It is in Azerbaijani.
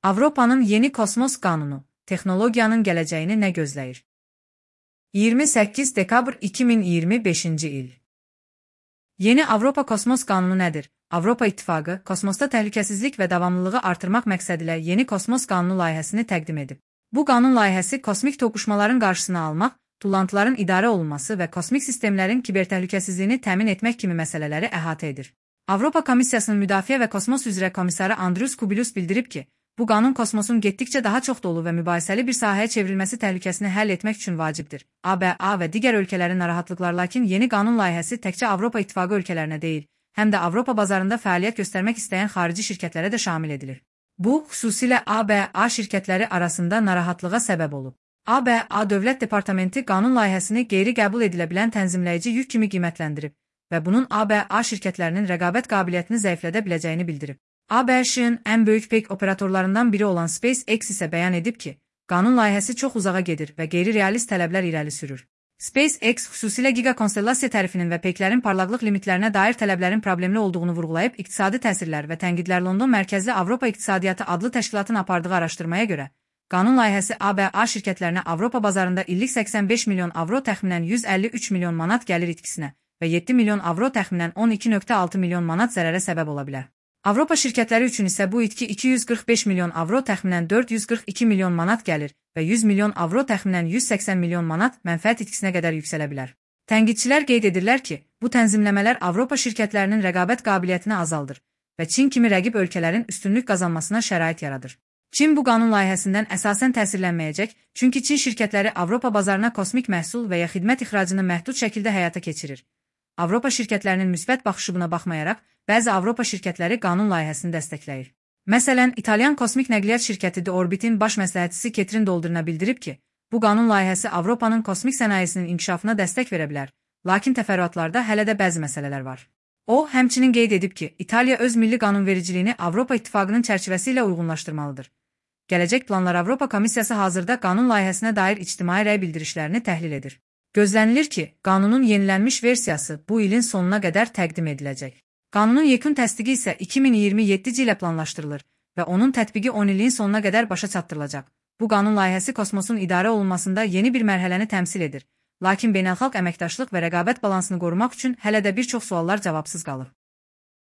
Avropanın yeni kosmos qanunu, texnologiyanın gələcəyini nə gözləyir? 28 dekabr 2025-ci il. Yeni Avropa Kosmos Qanunu nədir? Avropa İttifaqı, kosmosda təhlükəsizlik və davamlılığı artırmaq məqsədilə yeni kosmos qanunu layihəsini təqdim edib. Bu qanun layihəsi kosmik toqquşmaların qarşısını almaq, tullantıların idarə olunması və kosmik sistemlərin kibertəhlükəsizliyini təmin etmək kimi məsələləri əhatə edir. Avropa Komissiyasının Müdafiə və Kosmos üzrə komissarı Andrius Kubilius bildirib ki, bu qanun kosmosun getdikcə daha çox dolu və mübahisəli bir sahəyə çevrilməsi təhlükəsini həll etmək üçün vacibdir. ABA və digər ölkələrin narahatlıqları, lakin yeni qanun layihəsi təkcə Avropa İttifaqı ölkələrinə deyil, həm də Avropa bazarında fəaliyyət göstərmək istəyən xarici şirkətlərə də şamil edilir. Bu, xüsusilə ABA şirkətləri arasında narahatlığa səbəb olub. ABA Dövlət Departamenti qanun layihəsini qeyri-qəbul edilə bilən tənzimləyici yük kimi qiymətləndirib və bunun ABA şirkətlərinin rəqabət qabiliyyətini zəiflədə biləcəyini bildirib. ABŞ-ın ən böyük peyk operatorlarından biri olan SpaceX isə bəyan edib ki, qanun layihəsi çox uzağa gedir və qeyri-realist tələblər irəli sürür. SpaceX xüsusilə gigakonstellasiya tərifinin və peyklərin parlaqlıq limitlərinə dair tələblərin problemli olduğunu vurğulayıb, iqtisadi təsirlər və tənqidlər London mərkəzli Avropa İqtisadiyyatı adlı təşkilatın apardığı araşdırmaya görə, qanun layihəsi ABA şirkətlərinə Avropa bazarında illik 85 milyon avro təxminən 153 milyon manat gəlir itkisinə və 7 milyon avro təxminən 12,6 milyon manat zərərə səbəb ola bilər. Avropa şirkətləri üçün isə bu itki 245 milyon avro təxminən 442 milyon manat gəlir və 100 milyon avro təxminən 180 milyon manat mənfəət itkisinə qədər yüksələ bilər. Tənqidçilər qeyd edirlər ki, bu tənzimləmələr Avropa şirkətlərinin rəqabət qabiliyyətini azaldır və Çin kimi rəqib ölkələrin üstünlük qazanmasına şərait yaradır. Çin bu qanun layihəsindən əsasən təsirlənməyəcək, çünki Çin şirkətləri Avropa bazarına kosmik məhsul və ya xidmət ixracını məhdud şəkildə həyata keçirir. Avropa şirkətlərinin müsbət baxışı buna baxmayaraq, bəzi Avropa şirkətləri qanun layihəsini dəstəkləyir. Məsələn, İtalyan kosmik nəqliyyat şirkəti De Orbit'in baş məsləhətçisi Ketrin Doldurna bildirib ki, bu qanun layihəsi Avropanın kosmik sənayesinin inkişafına dəstək verə bilər, lakin təfərrüatlarda hələ də bəzi məsələlər var. O, həmçinin qeyd edib ki, İtaliya öz milli qanunvericiliyini Avropa İttifaqının çərçivəsi ilə uyğunlaşdırmalıdır. Gələcək planlar Avropa Komissiyası hazırda qanun layihəsinə dair ictimai rəy bildirişlərini təhlil edir. Gözlənilir ki, qanunun yenilənmiş versiyası bu ilin sonuna qədər təqdim ediləcək. Qanunun yekun təsdiqi isə 2027-ci ilə planlaşdırılır və onun tətbiqi 10 ilin sonuna qədər başa çatdırılacaq. Bu qanun layihəsi kosmosun idarə olunmasında yeni bir mərhələni təmsil edir, lakin beynəlxalq əməkdaşlıq və rəqabət balansını qorumaq üçün hələ də bir çox suallar cavabsız qalır.